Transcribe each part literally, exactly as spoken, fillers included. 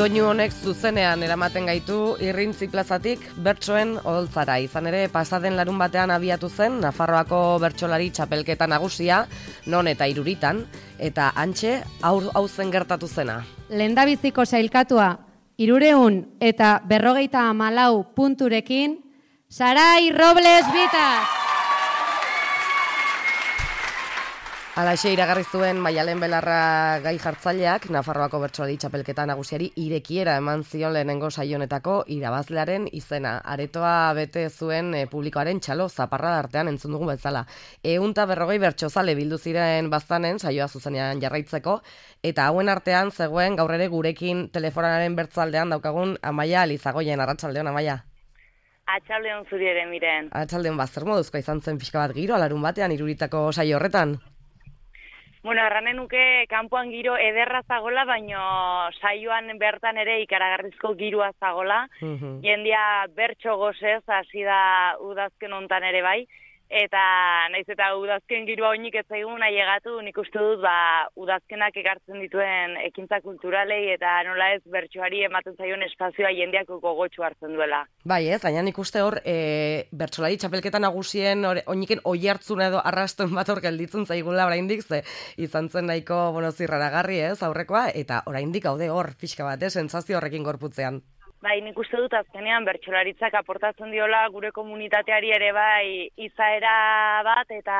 Doinu honek zuzenean eramaten gaitu Irrintzi plazatik bertsoen odoltzara. Izan ere, pasaden larun batean abiatu zen Nafarroako bertsolari txapelketa nagusia, non eta Iruritan, eta hantxe hau zen gertatu zena. Lehendabiziko sailkatua hirureun eta berrogeita hamalau punturekin, Sarai Robles Bitas! Halaxe iragarri zuen Maialen Belarra gai jartzaileak Nafarroako bertsolari txapelketa nagusiari irekiera eman zion lehenengo saionetako irabazlearen izena. Aretoa bete zuen e, publikoaren txalo zaparrada artean entzun dugu bezala. Ehunta berrogei bertsozale bildu ziren baztanen saioa zuzenean jarraitzeko, eta hauen artean zegoen gaur ere gurekin telefonaren bertzaldean daukagun Amaia Alizagoien. Arratsaldeon, Amaia. Atxaldeon zuri ere, Miren. Atxaldeon, zer moduzkoa izan zen pixka bat giro alarun batean Iruritako saio horretan? Bueno, erranen nuke kanpoan giro ederra zagola, baino saioan bertan ere ikaragarrizko girua zagola. Uh-huh. Jendia bertso gozez, hasi da udazken hontan ere bai. Eta naiz eta udazken girua oinik ez zaigun ailegatu, nik uste dut ba, udazkenak ekartzen dituen ekintza kulturalei eta nola ez bertsoari ematen zaion espazioa jendeak gogotsu hartzen duela. Bai ez, baina nik uste hor e, bertsolari txapelketa nagusien oiniken oihartzuna edo arrastuen bat hor gelditzen zaigula oraindik, ze izan zen nahiko bueno, zirraragarri ez aurrekoa, eta oraindik haude hor pixka bat, eh, sentsazio horrekin gorputzean. Bai, nik uste dut azkenean bertsolaritzak aportatzen diola gure komunitateari ere bai izaera bat eta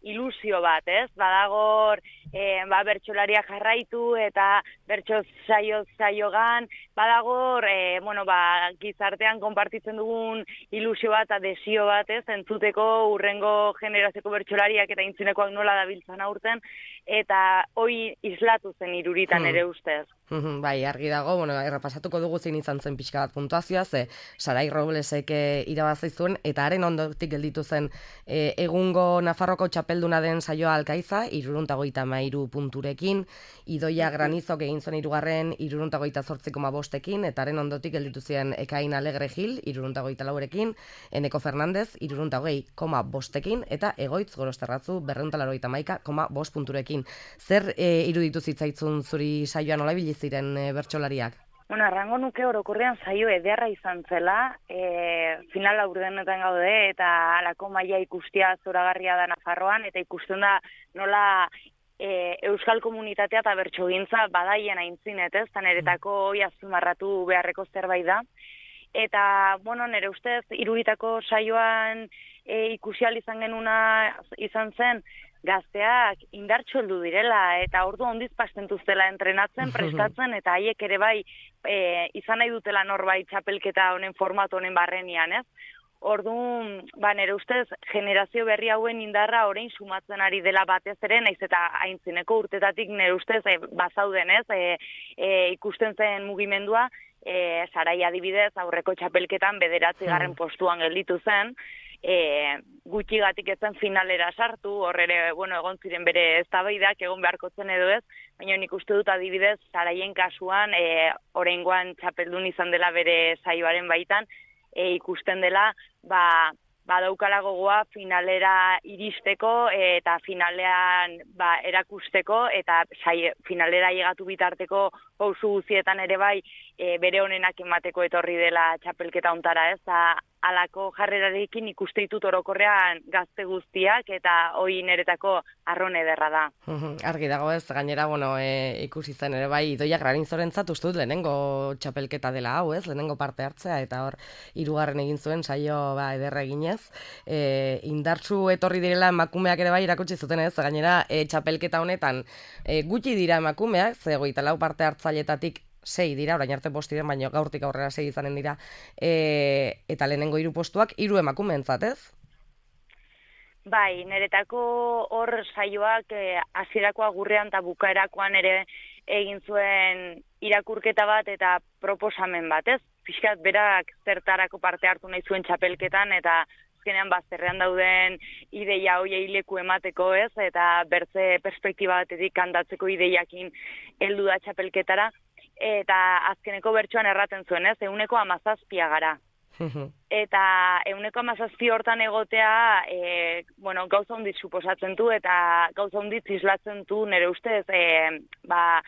ilusio bat, ez? Badagor e, ba, bertsolaria jarraitu eta bertso saio saiogan, badagor e, bueno, ba, gizartean konpartitzen dugun ilusio bat, adesio bat, ez? Entzuteko urrengo generazioko bertsolariak eta intzinekoak nola dabiltzan aurten, eta hoi islatu zen Iruritan hmm. ere ustez. Bai, argi dago, bueno, errepasatuko dugu zein izan zen pixka bat puntuazioa, ze Sarai Roblesek irabazi zuen, eta haren ondotik gelditu zen e, egungo Nafarroko txapelduna den saioa Alkaiza, hirurehuntagoita hamairu punturekin, Idoia Granizok egin zuen hirugarren hirurehuntagoita zortzi koma bostekin, eta haren ondotik gelditu ziren Ekain Alegre Gil, hirurehuntagoita laurekin, Eneko Fernandez, hirurehuntagoita hogei koma bostekin, eta Egoitz Gorosterratzu, berrehun eta laurogeita hamaika koma bost punturekin. Zer e, iruditu zitzaitzun zuri saioan nola ibili ziren e, bertsolariak? Bueno, arrango nuke orokorrean saio ederra izan zela, e, final aurrenetan gaude eta alako maila ikustia zoragarria da Nafarroan, eta ikusten da nola e, euskal komunitatea eta bertsogintza badaien aintzinet, ez? Tan eretako hoi azpimarratu beharreko zerbait da. Eta, bueno, nire ustez, Iruritako saioan e, ikusial izan genuna izan zen, gazteak indartxo heldu direla, eta ordu ondiz pastentuztela entrenatzen, prestatzen, eta haiek ere bai e, izan nahi dutela norbait txapelketa honen formatu honen barrenian, ez? Orduan, ba, nire ustez, generazio berri hauen indarra orain sumatzen ari dela batez ere, naiz eta aintzineko urtetatik nire ustez e, bazauden, ez? E, e, ikusten zen mugimendua, e, Sarai adibidez, aurreko txapelketan bederatzi garren postuan gelditu zen, E, gutxigatik ezen finalera sartu, horre bueno, egon ziren bere eztabaidak egon beharko zen edo ez, baina nik uste dut adibidez Saraien kasuan e, oraingoan txapeldun izan dela bere saioaren baitan, e, ikusten dela ba, badaukala gogoa finalera iristeko e, eta finalean ba, erakusteko eta sai, finalera llegatu bitarteko pausu guztietan ere bai e, bere honenak emateko etorri dela txapelketa ontara, ez da alako jarrerarekin ikuste ditut orokorrean gazte guztiak eta hoi niretako arron ederra da. Argi dago ez, gainera, bueno, e, ikusi zen ere bai, Idoia Graninzorentzat uste dut lehenengo txapelketa dela hau, ez, lehenengo parte hartzea, eta hor hirugarren egin zuen saio ba, ederra eginez. E, indartsu etorri direla emakumeak ere bai irakutsi zuten ez, gainera e, txapelketa honetan e, gutxi dira emakumeak, ze hogeita lau parte hartzailetatik sei dira, orain arte bost diren, baina gaurtik aurrera sei izanen dira, e, eta lehenengo hiru postuak hiru emakumeentzat, ez? Bai, niretako hor saioak hasierako agurrean eta bukaerakoan ere egin zuen irakurketa bat eta proposamen bat, ez? Pixkat berak zertarako parte hartu nahi zuen txapelketan eta azkenean bazterrean dauden ideia hoiei leku emateko, ez? Eta bertze perspektiba batetik kandatzeko ideiakin heldu da txapelketara. Eta azkeneko bertsoan erraten zuen, ez, ehuneko hamazazpia gara. Eta ehuneko hamazazpi hortan egotea, e, bueno, gauza hondit suposatzen du, eta gauza hondit islatzen du nire ustez, e, ba,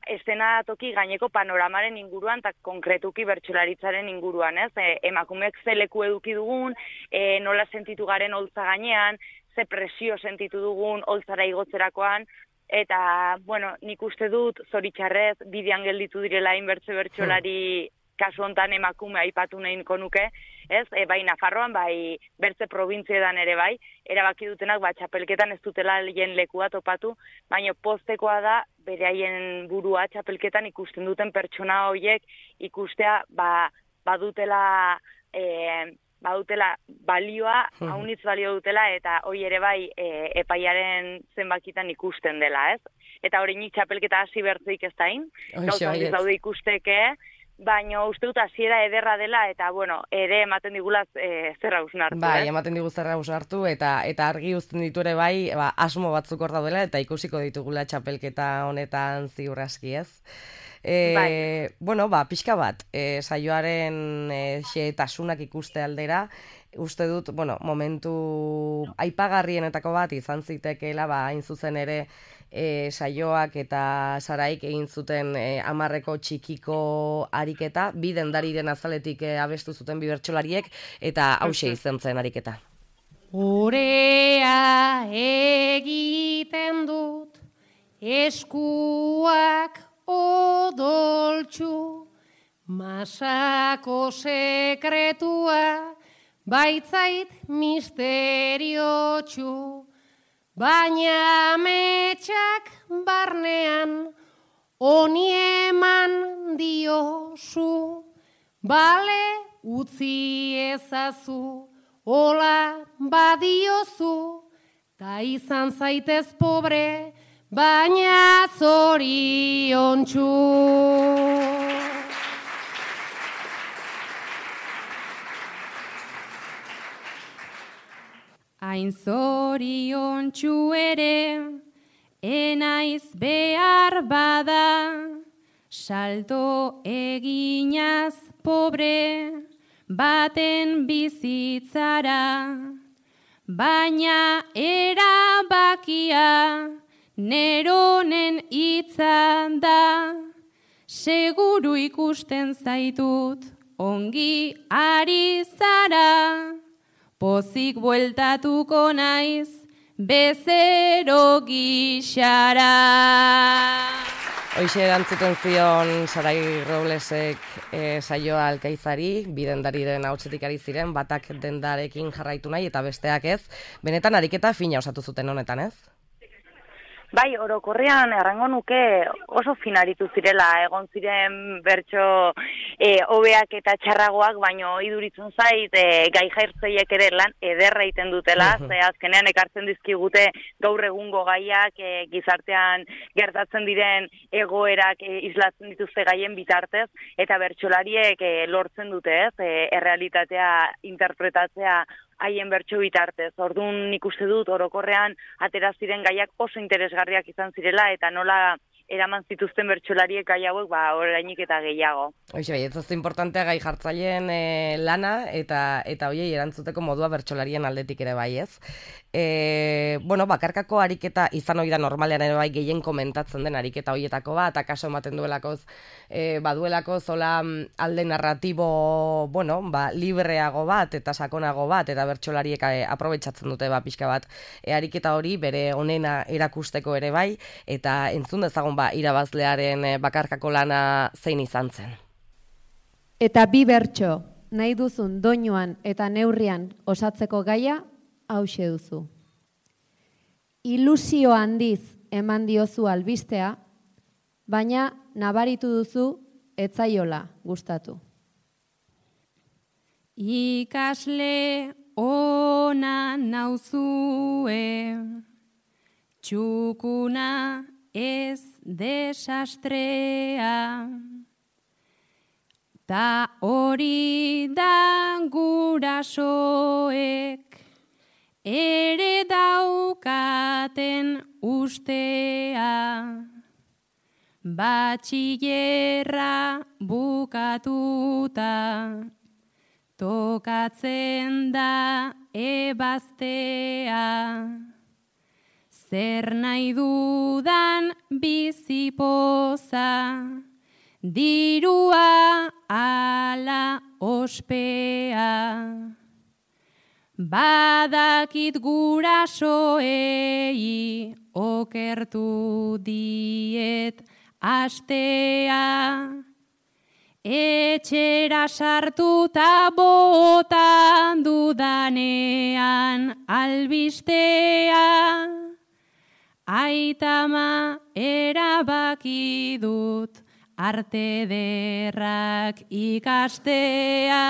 eszenatoki gaineko panoramaren inguruan eta konkretuki bertsolaritzaren inguruan, ez? E, emakumeek ze leku eduki dugun, e, nola sentitu garen holtza gainean, ze presio sentitu dugun holtzara igotzerakoan, eta, bueno, nik uste dut, zoritxarrez, bidean gelditu direla inbertze bertsolari kasu hontan emakume aipatu nahiko nuke, ez? E, bai Nafarroan, bai bertze probintzietan ere bai, erabaki dutenak ba txapelketan ez dutela lehen lekua topatu, baina postekoa da bere haien burua txapelketan ikusten duten pertsona horiek ikustea ba badutela e, badutela balioa, haunitz balio dutela, eta hoi ere bai e, epaiaren zenbakitan ikusten dela, ez? Eta hori nik txapelketa hasi bertzeik ez dain, gauza handiz daude ikusteke, baina uste dut hasiera ederra dela, eta, bueno, ere ematen digula e, zerra hausnartu. Bai, ematen digu zerra hausnartu, eta, eta argi uzten ditu ere bai, ba, asmo batzuk hor daudela, eta ikusiko ditugula txapelketa honetan ziur aski, ez? E, bai. Bueno, ba, pixka bat, e, saioaren e, xehetasunak ikuste aldera, uste dut, bueno, momentu aipagarrienetako bat izan zitekeela, ba, hain zuzen ere, E, saioak eta Saraik egin zuten e, amarreko txikiko ariketa, bi dendariren azaletik e, abestu zuten bi bertsolariek, eta hause izan zen ariketa. Orea egiten dut, eskuak odoltsu, masako sekretua, baitzait misteriotsu, baina metxak barnean honi eman diozu, bale utzi ezazu, hola badiozu, ta izan zaitez pobre, baina zoriontsu. Hain zoriontsu ere, enaiz behar bada, salto eginaz pobre, baten bizitzara, baina erabakia, neronen hitzan da, seguru ikusten zaitut, ongi ari zara, pozik bueltatuko naiz, bezero gixara. Hoixe erantzuten zion Sarai Roblesek e, saioa Alkaizari, bi dendariren ahotsetik ari ziren, batak dendarekin jarraitu nahi eta besteak ez. Benetan ariketa fina osatu zuten honetan, ez? Bai, orokorrean errango nuke oso finaritu zirela, egon ziren bertso e, hobeak eta txarragoak, baino iduritzen zait e, gai jairtzeiek ere lan ederra egiten dutela, ze azkenean ekartzen dizkigute gaur egungo gaiak e, gizartean gertatzen diren egoerak e, islatzen dituzte gaien bitartez, eta bertsolariek e, lortzen dute, ez, e, errealitatea interpretatzea haien bertso bitartez. Orduan nik uste dut orokorrean atera ziren gaiak oso interesgarriak izan zirela eta nola eraman zituzten bertsolariek gai hauek ba orainik eta gehiago. Hoxe bai, ez oso importantea gai jartzaileen e, lana eta eta hoiei erantzuteko modua bertsolarien aldetik ere bai, ez? E, bueno, bakarkako ariketa izan ohi da normalean ere bai gehien komentatzen den ariketa hoietako bat, akaso ematen duelakoz e, baduelako zola alde narratibo, bueno, ba, libreago bat eta sakonago bat eta bertsolariek e, aprobetxatzen dute ba pixka bat e, ariketa hori bere onena erakusteko ere bai, eta entzun dezagun ba irabazlearen e, bakarkako lana zein izan zen. Eta bi bertso nahi duzun doinuan eta neurrian osatzeko gaia hauxe duzu. Ilusio handiz eman diozu albistea, baina nabaritu duzu etzaiola gustatu. Ikasle ona nauzue, txukuna ez desastrea, ta hori da gurasoek ere daukaten ustea, batxillerra bukatuta, tokatzen da ebaztea, zer nahi dudan bizipoza, dirua ala ospea. Badakit gurasoei okertu diet astea, etxera sartuta botan dudanean albistea, aitama erabaki dut arte derrak ikastea.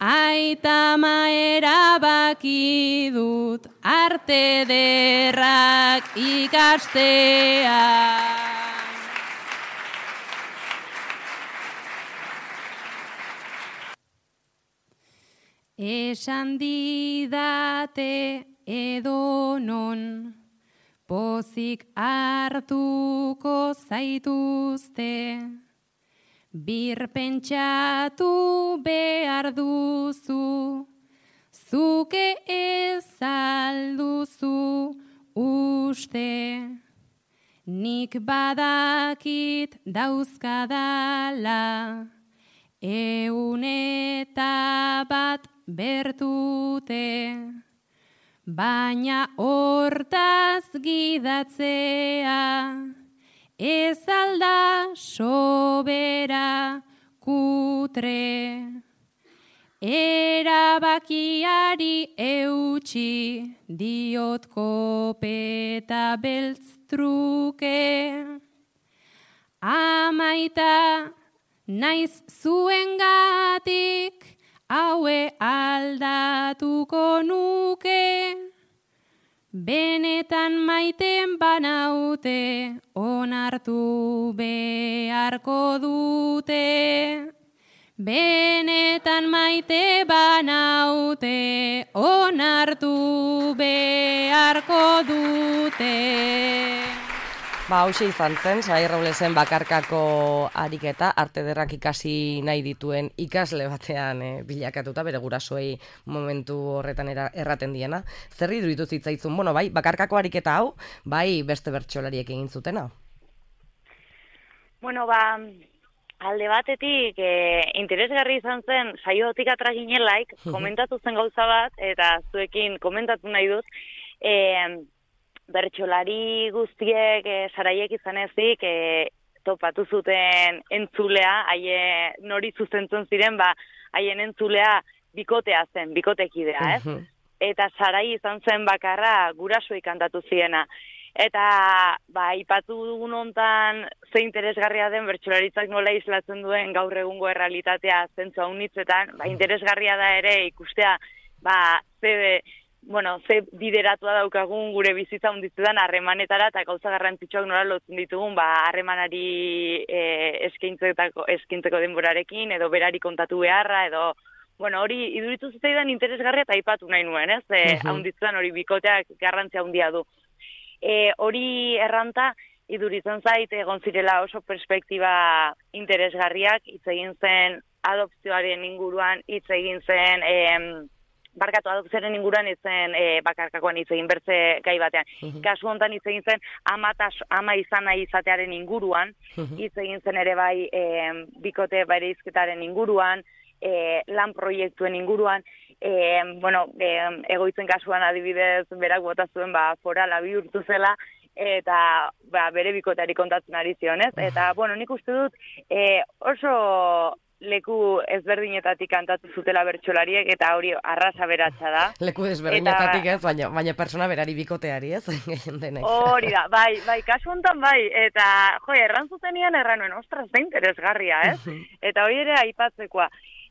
Aitama erabaki dut arte derrak ikastea. Esan didate edonon, pozik hartuko zaituzte, birpentsatu behar duzu, zuke ez alduzu uste. Nik badakit dauzkadala, eun eta bat bertute, baina hortaz gidatzea, ez alda sobera kutre. Erabakiari eutxi diot kopeta beltz truke. Amaita naiz zuengatik, haue aldatuko nuke. Benetan maiten banaute, onartu beharko dute. Benetan maite banaute, onartu beharko dute. Ba, hauxe izan zen, Sarai Roblesen bakarkako ariketa, arte ederrak ikasi nahi dituen ikasle batean e, bilakatuta, bere gurasoei momentu horretan era, erraten diena. Zer iruditu zitzaizun, bueno, bai, bakarkako ariketa hau, bai beste bertsolariek egin zutena? Bueno, ba, alde batetik e, interesgarri izan zen, saiotik atraginelaik, komentatu zen gauza bat, eta zuekin komentatu nahi dut, e, bertsolari guztiek, e, Saraiek izan ezik, e, topatu zuten entzulea, haie nori zuzentzen ziren, ba, haien entzulea bikotea zen, bikotekidea, ez? Eta Sarai izan zen bakarra gurasoei kantatu ziena. Eta, ba, ipatu dugun hontan ze interesgarria den bertsolaritzak nola islatzen duen gaur egungo errealitatea zentzu haunitzetan, ba, interesgarria da ere ikustea, ba, ze... bueno, ze bideratua daukagun gure bizitza hunditzetan harremanetara eta gauza garrantzitsuak nola lotzen ditugun, ba, harremanari e, eskaintzeko, eskaintzeko denborarekin, edo berari kontatu beharra, edo, bueno, hori iduritu zitzaidan interesgarria eta aipatu nahi nuen, ez? E, haunditzetan hori bikoteak garrantzia handia du. E, hori erranta, iduritzen zait, egon zirela oso perspektiba interesgarriak, hitz egin zen adopzioaren inguruan, hitz egin zen... E, barkatu adopzioaren inguruan izen e, bakarkakoan hitz egin bertze gai batean. Uh-huh. Kasu hontan hitz egin zen ama, tas, ama izan nahi izatearen inguruan, hitz uh-huh. egin zen ere bai e, bikote bereizketaren inguruan, e, lan proiektuen inguruan, e, bueno, e, egoitzen kasuan adibidez berak bota zuen ba, forala bihurtu zela, eta ba, bere bikoteari kontatzen ari zionez. Eta, bueno, nik uste dut e, oso... leku ezberdinetatik kantatu zutela bertsolariek, eta hori arrasa beratsa da. Leku ezberdinetatik ez, baina, baina persona berari bikoteari ez, gehien denek. Hori da, bai, bai, kasu honetan bai, eta jo, erran zutenian erranuen, ostras, da interesgarria, ez? Eta hori ere aipatzekoa.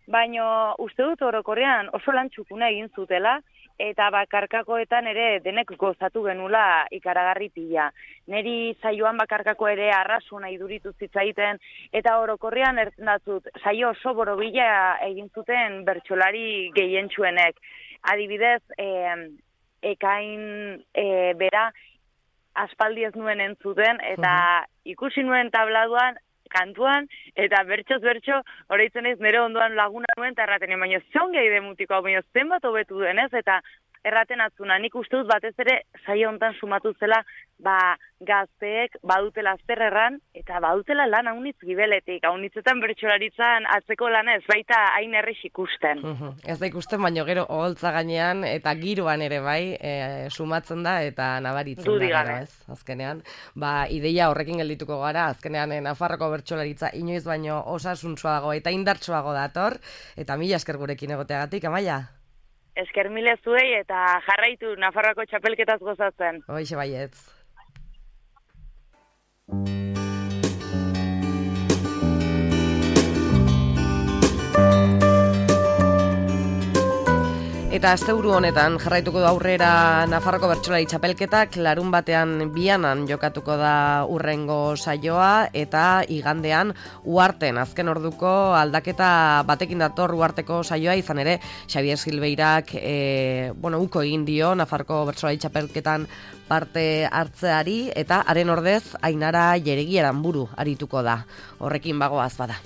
Baina uste dut orokorrean oso lan txukuna egin zutela, eta bakarkakoetan ere denek gozatu genula ikaragarri pila. Neri saioan bakarkako ere arrasuna iduritu zitzaiten, eta orokorrean ertendatzut, saio oso borobila egin zuten bertsolari gehientsuenek. Adibidez, eh, ekain eh, bera aspaldi ez nuen entzuten, eta ikusi nuen tabladuan, kantuan, eta bertxoz bertxo, horreitzen ez nire ondoan laguna nuen, eta erraten, baina zion gehi demutiko, baina zenbat hobetu denez, eta erraten atzuna, nik uste dut batez ere saio hontan sumatu zela, ba, gazteek badutela zer erran, eta badutela lan haunitz gibeletik, haunitzetan bertsolaritzan atzeko lana ez baita hain errex ikusten. Uhum. Ez da ikusten, baino gero oholtza gainean eta giroan ere bai e, sumatzen da eta nabaritzen Dudi da gero, gabe. ez? Azkenean, ba, ideia horrekin geldituko gara, azkenean e, Nafarroko bertsolaritza inoiz baino osasuntsuago eta indartsuago dator, eta mila esker gurekin egoteagatik, Amaia? Esker mile zuei eta jarraitu Nafarroako txapelketaz gozatzen. Hoixe baietz. Eta asteburu honetan jarraituko du aurrera Nafarroko bertsolari txapelketak, larun batean bianan jokatuko da urrengo saioa, eta igandean Uharten azken orduko aldaketa batekin dator Uharteko saioa, izan ere Xabier Silveirak e, bueno, uko egin dio Nafarroko bertsolari txapelketan parte hartzeari, eta haren ordez Ainara Jeregiaran buru arituko da. Horrekin bagoaz bada.